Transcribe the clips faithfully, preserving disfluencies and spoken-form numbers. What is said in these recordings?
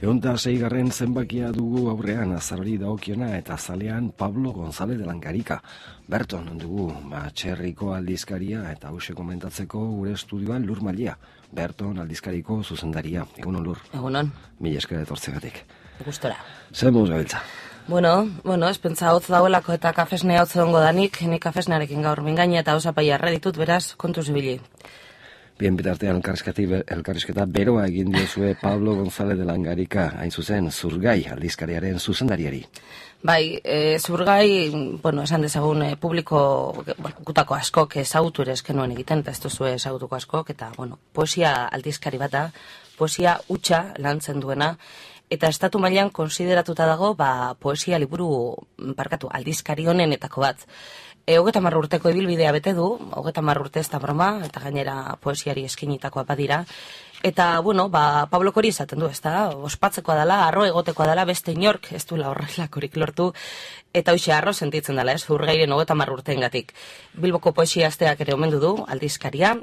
Eunda seigarren zenbakia dugu aurrean azarari daokiona eta zalean Pablo González de Langarika. Berton dugu, ba, txerriko aldizkaria eta hause komentatzeko gure estudioan Lur Malia. Berton aldizkariko zuzendaria. Egunon, Lur. Egunon. Mila esker etortzegatik. Gustora. Zer moduz gabiltza? Bueno, bueno, espentza hotz dauelako eta kafesnea hotz ongo danik, ni kafesnarekin gaur mingaina eta osapaia erre ditut, beraz, kontuz ibili. Bien, bitartean elkarrizketa beroa egin diozue Pablo González de Langarika, hain zuzen, Zurgai aldizkariaren zuzendariari. Bai, e, Zurgai, bueno, esan dezagun, e, publiko gutako askok ezagutu ere eskenuen egiten, eta ez duzu ezagutuko askok, eta, bueno, poesia aldizkari bata, poesia hutsa lantzen duena, eta estatu mailan konsideratuta dago, ba, poesia liburu, barkatu, aldizkari honenetako bat. E, hogeta marra urteko ibilbidea bete du, hogeta marra urte ez da broma, eta gainera poesiari eskinitakoa badira. Eta, bueno, ba, Pablo hori esaten du, ez da, ospatzekoa dela, arro egotekoa dela, beste inork ez duela horrelakorik lortu, eta hoxe arro sentitzen dela, ez, Zurgairen hogeta marra urteengatik. Bilboko poesia asteak ere omendu du, aldizkaria,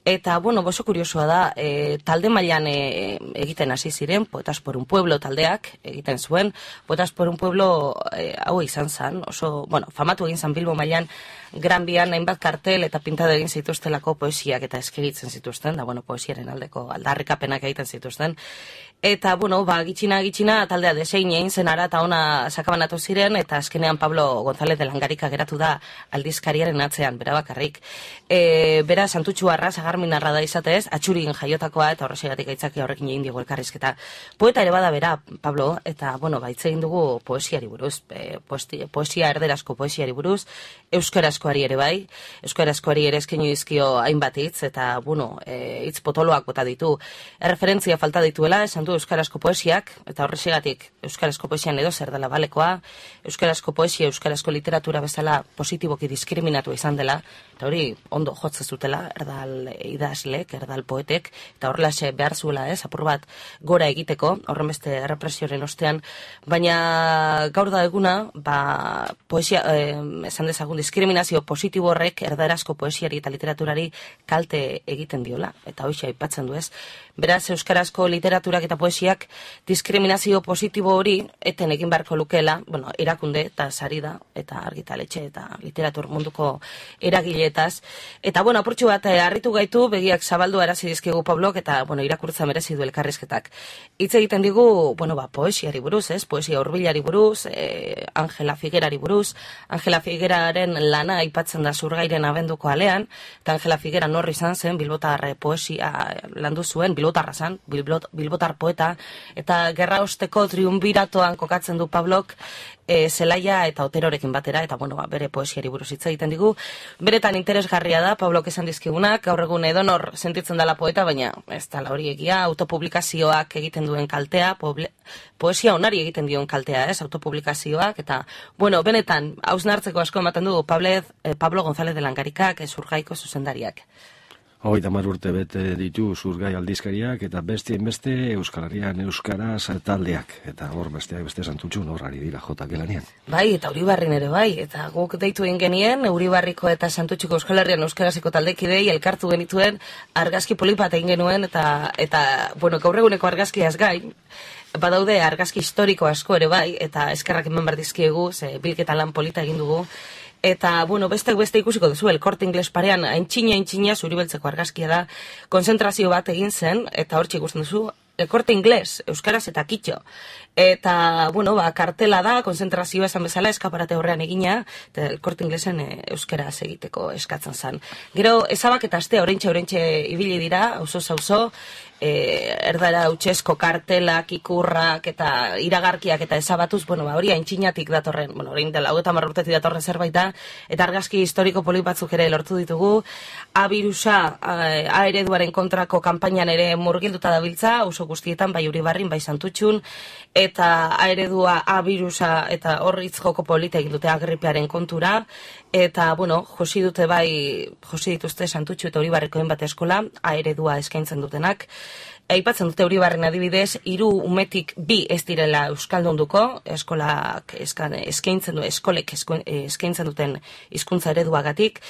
eta, bueno, oso kuriosoa da, e, talde mailan e, egiten hasi ziren, Poetas por un pueblo taldeak egiten zuen, Poetas por un pueblo e, hau izan zen, oso, bueno, famatu egin zen Bilbo mailan, Gran Bian hainbat kartel eta pintado egin zituztelako poesiak eta eskeritzen zituzten, da, bueno, poesiaren aldeko aldarrikapenak egiten zituzten. Eta, bueno, ba, gitxina, gitxina, taldea desein egin zen ara eta ona sakabanatu ziren, eta azkenean Pablo González de Langarika geratu da aldizkariaren atzean, bera bakarrik. E, bera, Santutxu arra, Sagarminarra da izatez, atxurin jaiotakoa, eta horregatik aitzaki horrekin egin digu elkarrizketa. Poeta ere bada bera, Pablo, eta, bueno, ba, hitz egin dugu poesiari buruz, e, poesia, poesia erderazko poesiari buruz, euskarazkoari ere bai, euskarazkoari ere eskeinu dizkio hainbat hitz, eta, bueno, e, hitz potoloak bota ditu, erreferentzia falta dituela, esan du euskarazko poesiak, eta horregatik euskarazko poesian edo zer dela balekoa, euskarazko poesia, euskarazko literatura bezala positiboki diskriminatu izan dela, eta hori ondo jotzen zutela, erdal idazlek, erdal poetek, eta horrelaxe behar zuela, ez, apur bat gora egiteko, horren beste errepresioaren ostean, baina gaur da eguna, ba, poesia, eh, esan dezagun, diskriminazio positibo horrek erdarazko poesiari eta literaturari kalte egiten diola, eta hoxe aipatzen du, ez. Beraz, euskarazko literaturak eta poesiak diskriminazio positibo hori eten egin beharko lukeela, bueno, erakunde eta sari da, eta argitaletxe eta literatur munduko eragileetaz. Eta, bueno, apurtxu bat, harritu gaitu, begiak zabaldu arazi dizkigu Pablok, eta, bueno, irakurtza merezi du elkarrizketak. Hitz egiten digu, bueno, ba, poesiari buruz, ez, poesia hurbilari buruz, eh, Angela Figuerari buruz, Angela Figueraren lana aipatzen da Zurgairen abenduko alean, eta Angela Figuera norri izan zen, bilbotar poesia landu zuen, bilbotarra zen, bilbotar poeta, eta gerra osteko triunbiratoan kokatzen du Pablok e, Zelaia eta Oterorekin batera, eta bueno, ba, bere poesiari buruz hitz egiten digu. Beretan interesgarria da, Pablok esan dizkigunak, gaur egun edonor sentitzen dela poeta, baina ez da hori egia, autopublikazioak egiten duen kaltea, poble, poesia onari egiten dion kaltea, ez, autopublikazioak, eta, bueno, benetan, hausnartzeko asko ematen du Pablo, eh, Pablo González de Langarikak, Zurgaiko zuzendariak. Hogeita hamar urte bete ditu Zurgai aldizkariak eta bestien beste Euskal Herrian euskaraz taldeak. Eta hor besteak beste Santutxu horrari dira jotak gelanean. Bai, eta Uribarrin ere bai. Eta guk deitu egin genien, Uribarriko eta Santutxuko Euskal Herrian euskaraziko taldekidei elkartu genituen argazki polipat egin genuen eta, eta bueno, gaur eguneko argazkiaz gain, badaude argazki historiko asko ere bai, eta eskerrak eman behar dizkiegu, ze bilketa lan polita egin dugu. Eta, bueno, beste beste ikusiko duzu, El Corte Inglés parean, haintxina, haintxina, zuribeltzeko argazkia da, konzentrazio bat egin zen, eta hortxe ikusten duzu, El Corte Inglés, euskaraz eta kitxo. Eta, bueno, ba, kartela da, konzentrazioa esan bezala, eskaparate horrean egina, eta El Corte Inglesen e, euskaraz egiteko eskatzen zen. Gero, ezabak eta aste, orentxe, orentxe ibili dira, auzo zauzo, E, erdara utxesko kartelak, ikurrak eta iragarkiak eta ezabatuz, bueno, ba, hori haintxinatik datorren, bueno, hori dela, hau eta marrurtetik datorren zerbait da, eta argazki historiko polit batzuk ere lortu ditugu, A birusa, A ereduaren kontrako kanpainan ere murgilduta dabiltza, oso guztietan, bai Uribarrin, bai Santutxun, eta A eredua, A birusa, eta horritz joko polita egin dute agripearen kontura, eta, bueno, josi dute bai, josi dituzte Santutxu eta Uribarriko bat eskola, A eredua eskaintzen dutenak, aipatzen dute Uribarren adibidez, hiru umetik bi ez direla euskaldunduko, eskolak eskan, eskaintzen du, eskolek eskaintzen duten hizkuntza ereduagatik.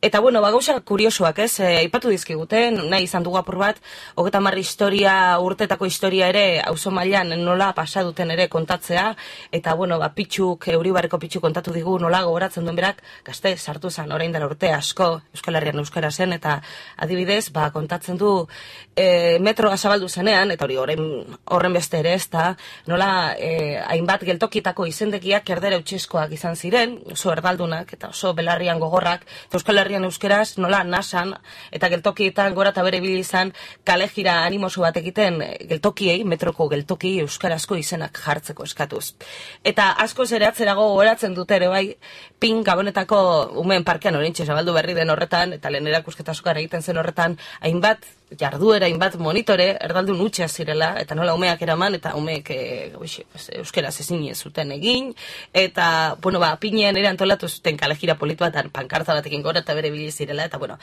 Eta bueno, ba gauza kuriosoak, ez? E, aipatu dizkigute, nahi izan dugu apur bat, hogeita hamar historia, urtetako historia ere auzo mailan nola pasa duten ere kontatzea, eta bueno, ba Pitxuk, Uribarreko Pitxuk kontatu digu nola gogoratzen duen berak, gazte sartu zen orain dela urte asko Euskal Herrian euskara zen, eta adibidez, ba kontatzen du e, metroa zabaldu zenean, eta hori horren, horren beste ere ez da, nola e, hainbat geltokitako izendekiak erdera utxeskoak izan ziren, oso erdaldunak eta oso belarrian gogorrak, eta Euskal Herrian euskeraz nola nasan, eta geltokietan gora eta bere ibili izan kale jira animoso bat egiten geltokiei, metroko geltokiei euskarazko izenak jartzeko eskatuz. Eta asko ere atzerago gogoratzen dute ere bai, pin Gabonetako umeen parkean orintxe zabaldu berri den horretan, eta lehen erakusketa askoan egiten zen horretan, hainbat jarduera, hainbat monitore, erdaldun utxea zirela, eta nola umeak eraman, eta umeek e, euskeraz ezin zuten egin, eta, bueno, ba, pinean ere antolatu zuten kalejira polit bat, pankarta batekin gora eta bere bili zirela, eta, bueno,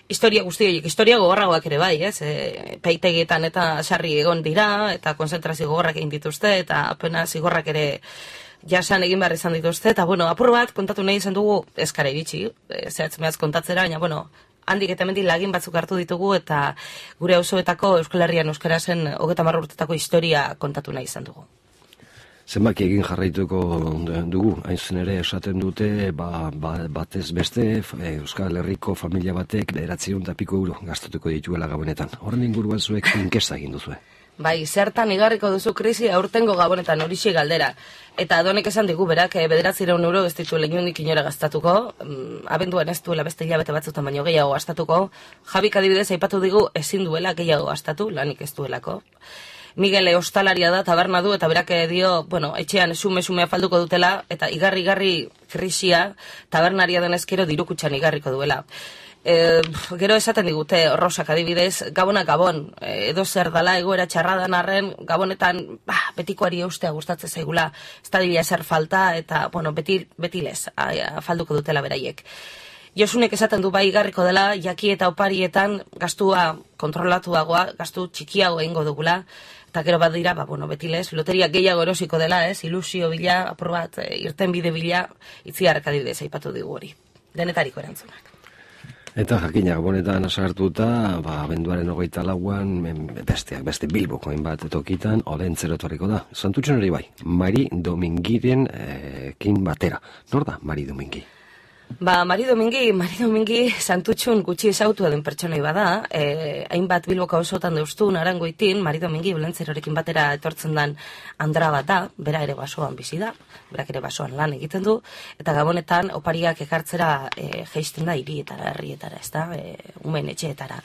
historia guzti horiek, historia gogorragoak ere bai, ez? E, peitegietan eta sarri egon dira, eta konzentrazio gogorrak egin dituzte, eta apena zigorrak ere jasan egin behar izan dituzte, eta, bueno, apur bat, kontatu nahi izan dugu, eskara iritsi, e, zehatzen behaz kontatzera, baina, bueno, handik eta hemendik lagin batzuk hartu ditugu, eta gure auzoetako Euskal Herrian euskarazen hogeita hamar urtetako historia kontatu nahi izan dugu. Zenbaki egin jarraituko dugu, hain zen ere esaten dute, ba, ba, batez beste, Euskal Herriko familia batek bederatziehun eta piko euro gastatuko dituela Gabonetan. Horren inguruan zuek inkesta egin duzue. Bai, zertan igarriko duzu krisi aurtengo Gabonetan horixe galdera. Eta donek esan digu berak, bederatziehun euro ez ditu lehiundik inora gastatuko, abenduan ez duela beste hilabete batzutan baino gehiago gastatuko, Jabik adibidez aipatu digu ezin duela gehiago gastatu, lanik ez duelako. Miguel ostalaria da, taberna du, eta berak dio, bueno, etxean esume-esumea falduko dutela, eta igarri-igarri krisia tabernaria denezkero dirukutxan igarriko duela. E, gero esaten digute, Rosak adibidez, Gabonak Gabon, edo zer dala egoera txarradan arren, Gabonetan bah, betikoari eustea gustatzen zaigula, ez da dila ezer falta, eta, bueno, beti, beti lez, falduko dutela beraiek. Josunek esaten du bai igarriko dela, jaki eta oparietan gastua kontrolatuagoa, gastu txikiago egingo dugula, eta gero bat dira, ba, bueno, beti lez, loteria gehiago erosiko dela, ez, ilusio bila, apur bat, irten bide bila, itziarrak adibidez aipatu digu hori. Denetariko erantzunak. Eta jakina Gabonetan sartuta, ba, abenduaren hogeita lauan, besteak, beste Bilboko hainbat tokitan, olentzero etorriko da. Santutxon hori bai, Mari Domingiren ekin batera. Nor da Mari Domingi? Ba, Mari Domingi, Mari Domingi Santutxun gutxi ezautua den pertsonai bada, eh, hainbat Bilboka osotan deustun arangoitin, Mari Domingi olentzerorekin batera etortzen den andra bat da, bera ere basoan bizi da, berak ere basoan lan egiten du, eta Gabonetan opariak ekartzera e, jeisten da hirietara, herrietara, ez da, e, umen etxeetara.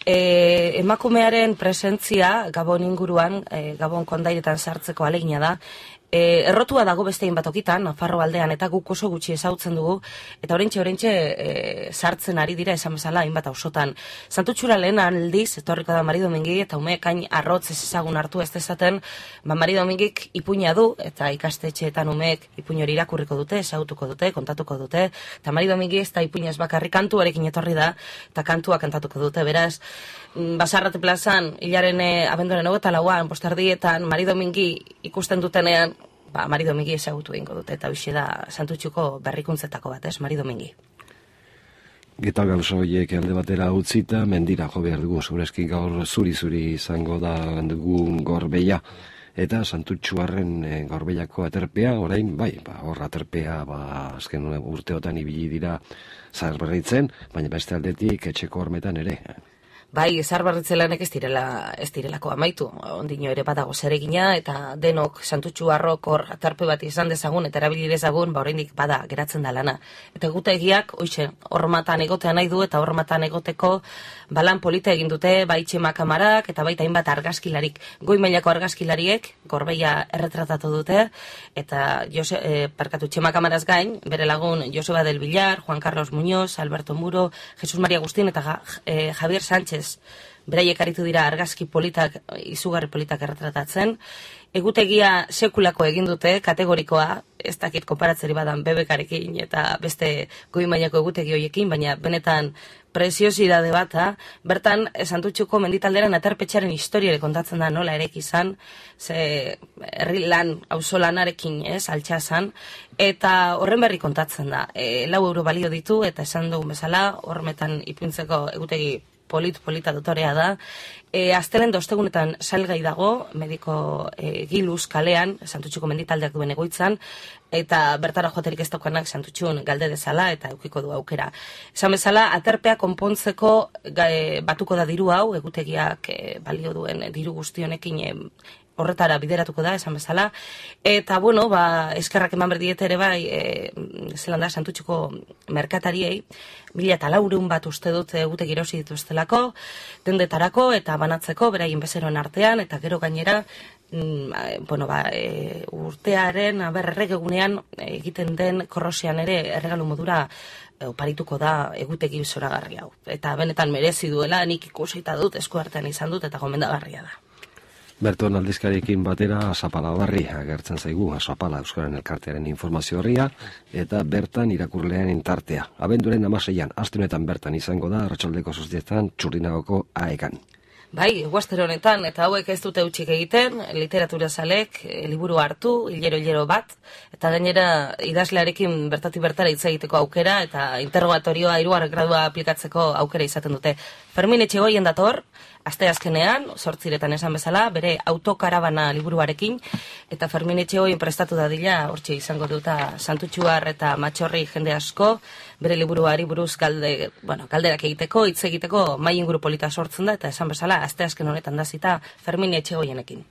E, emakumearen presentzia Gabon inguruan, e, Gabon kondairetan sartzeko alegina da, E, errotua dago bestein batokitan, Nafarro aldean, eta guk oso gutxi ezautzen dugu, eta orentxe, orentxe e, sartzen ari dira esan bezala, hainbat ausotan. Santutxura lehen aldiz, etorriko da Mari Domingi, eta umeek hain arrotz ez ezagun hartu ez dezaten, ba Mari Domingik ipuina du, eta ikastetxeetan umeek ipuin hori irakurriko dute, ezautuko dute, kontatuko dute, eta Mari Domingi ez da ipuina ez bakarri kantuarekin etorri da, eta kantua kantatuko dute, beraz, Basarrate plazan, hilaren e, abenduaren hogeta lauan, postardietan, Mari Domingi ikusten dutenean, ba, Mari Domingi ezagutu egingo dute, eta hoxe da Santutxuko berrikuntzetako bat, ez, Mari Domingi. Eta gauza horiek alde batera utzita, mendira jo behar dugu, zurezki gaur zuri-zuri izango da dugu gorbeia, eta Santutxuarren e, gorbeiako aterpea, orain, bai, ba, hor aterpea, ba, azken urteotan ibili dira zaharberritzen, baina beste aldetik etxeko hormetan ere. Bai, zaharberritze lanek ez direla, ez direlako amaitu. Ondino ere badago zeregina, eta denok Santutxu Arrok hor atarpe bat izan dezagun, eta erabili dezagun, ba oraindik bada geratzen da lana. Eta gutegiak, hoize, hormatan egotea nahi du, eta hormatan egoteko balan polita egin dute, bai Txema Kamarak, eta baita hainbat argazkilarik, goi mailako argazkilariek, gorbeia erretratatu dute, eta Jose, eh, parkatu Txema Kamaraz gain, bere lagun Joseba del Villar, Juan Carlos Muñoz, Alberto Muro, Jesus Maria Agustín, eta eh, Javier Sánchez ez? Beraiek aritu dira argazki politak, izugarri politak erretratatzen. Egutegia sekulako egin dute, kategorikoa, ez dakit konparatzeri badan bebekarekin eta beste goi mailako egutegi horiekin, baina benetan preziosidade bata, bertan Santutxuko menditalderan aterpetxaren historiare kontatzen da nola erek izan, ze herri lan, auzolanarekin, ez, altxazan, eta horren berri kontatzen da. E, lau euro balio ditu, eta esan dugun bezala, hormetan ipintzeko egutegi polit-polita dotorea da. E, Aztelen dostegunetan salgai dago, mediko e, Giluz kalean, Santutxuko menditaldeak duen egoitzan, eta bertara joaterik ez daukanak Santutxun galde dezala eta eukiko du aukera. Esan bezala, aterpea konpontzeko e, batuko da diru hau, egutegiak e, balio duen diru guztionekin e, horretara bideratuko da, esan bezala, eta, bueno, ba, eskerrak eman berdiet ere bai, e, zelan da, Santutxuko merkatariei, mila eta laureun bat uste dut egute girosi dituztelako, dendetarako eta banatzeko, beraien bezeroen artean, eta gero gainera, mm, bueno, ba, e, urtearen, aber, erregegunean egiten den korrosian ere erregalu modura oparituko da egutegi zoragarri hau. Eta benetan merezi duela, nik ikusita dut, eskuartean izan dut, eta gomendagarria da. Berton aldizkariekin batera Azapala barri agertzen zaigu, Azapala Euskaren Elkartearen informazio horria, eta bertan irakurleen intartea. Abenduaren amaseian, astunetan bertan izango da, arratsaldeko zoztietan, Txurdinagoko aekan. Bai, guazter honetan, eta hauek ez dute utxik egiten, literatura zalek, e, liburu hartu, hilero-hilero bat, eta gainera idazlearekin bertati bertara hitz egiteko aukera, eta interrogatorioa hirugarren gradua aplikatzeko aukera izaten dute. Fermin Etxegoien dator, asteazkenean, zortziretan esan bezala, bere autokarabana liburuarekin, eta Fermin Etxegoien prestatu dadila, hortxe izango duta Santutxuar eta Matxorri jende asko, bere liburuari buruz galde, bueno, galderak egiteko, hitz egiteko mai inguru polita sortzen da, eta esan bezala, asteazken honetan dazita Fermin Etxegoienekin.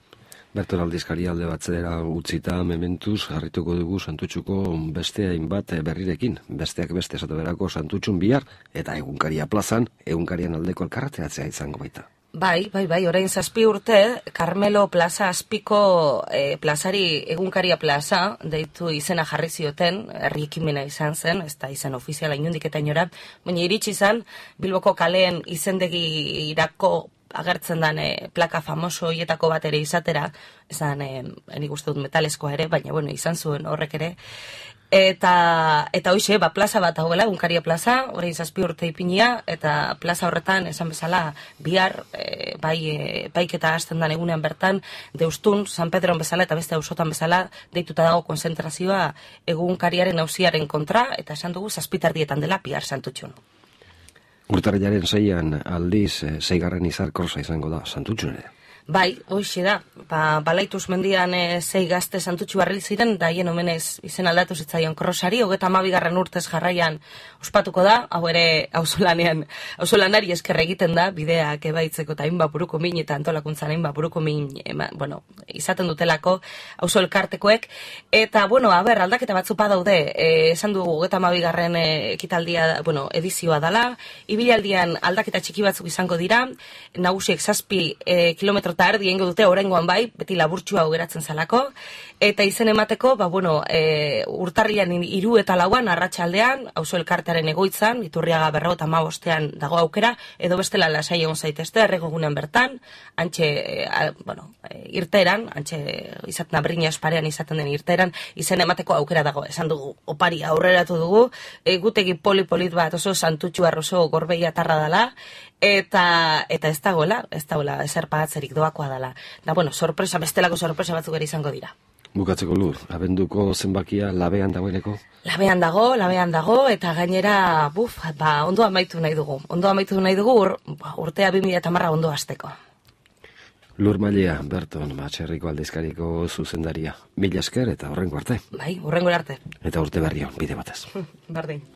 Berton aldizkari alde batzera utzita mementuz jarrituko dugu Santutxuko beste hainbat berrirekin. Besteak beste esate berako Santutxun bihar eta egunkaria plazan, egunkarian aldeko elkarrateratzea izango baita. Bai, bai, bai, orain zazpi urte, Carmelo Plaza azpiko e, plazari egunkaria plaza, deitu izena jarri zioten, herri ekimena izan zen, ez da izan ofiziala inundik eta inora, baina iritsi izan, Bilboko kaleen izendegi irako agertzen den e, plaka famoso hietako bat ere izatera, ezan, e, nik uste dut metaleskoa ere, baina bueno, izan zuen horrek ere, eta eta hoize, ba, plaza bat dagoela, egunkaria plaza, orain zazpi urte ipinia, eta plaza horretan, esan bezala, bihar, e, bai, e, baiketa hasten den egunean bertan, Deustun, San Pedron bezala, eta beste auzotan bezala, deituta dago konzentrazioa egunkariaren auziaren kontra, eta esan dugu zazpitardietan dela bihar Santutxun. Urtarrilaren seian aldiz, e, seigarren izar korsa izango da Santutxun ere. Bai, hoxe da, ba, balaituz mendian e, zei gazte Santutxu barril ziren, da hien omenez izen aldatu zitzaion krosari, hogeta hamabigarren urtez jarraian ospatuko da, hau ere auzolanean, auzolanari esker egiten da, bideak ebaitzeko eta hainbat buruko min eta antolakuntzan hainbat buruko min, ema, bueno, izaten dutelako auzo elkartekoek, eta, bueno, aber, aldaketa batzu badaude, e, esan dugu hogeta hamabigarren e, ekitaldia, bueno, edizioa dala, ibilaldian aldaketa txiki batzuk izango dira, nagusiek zazpi e, kilometro eta erdi egingo dute oraingoan bai, beti laburtsua geratzen zalako, eta izen emateko, ba, bueno, e, urtarrian hiru eta lauan, arratsaldean, auzo elkartearen egoitzan, Iturriaga berrogeita hamabostean dago aukera, edo bestela lasai egon zaitezte, erregogunean bertan, antxe, e, a, bueno, e, irteran, antxe izaten abrina esparean izaten den irteran, izen emateko aukera dago, esan dugu, opari aurreratu dugu, egutegi poli-polit bat oso Santutxu oso gorbeia tarra dala, eta eta ez dagoela, ez dagoela ezer pagatzerik doakoa dela. Da, bueno, sorpresa, bestelako sorpresa batzuk ere izango dira. Bukatzeko Lur, abenduko zenbakia labean dagoeneko? Labean dago, labean dago, eta gainera, buf, ba, ondo amaitu nahi dugu. Ondo amaitu nahi dugu, ur, urtea bi mila hamar ondo hasteko. Lur Mailea, Berton, Matxerriko aldizkariko zuzendaria. Mila esker eta horrengo arte. Bai, horrengo arte. Eta urte berri on, bide batez. Bardin.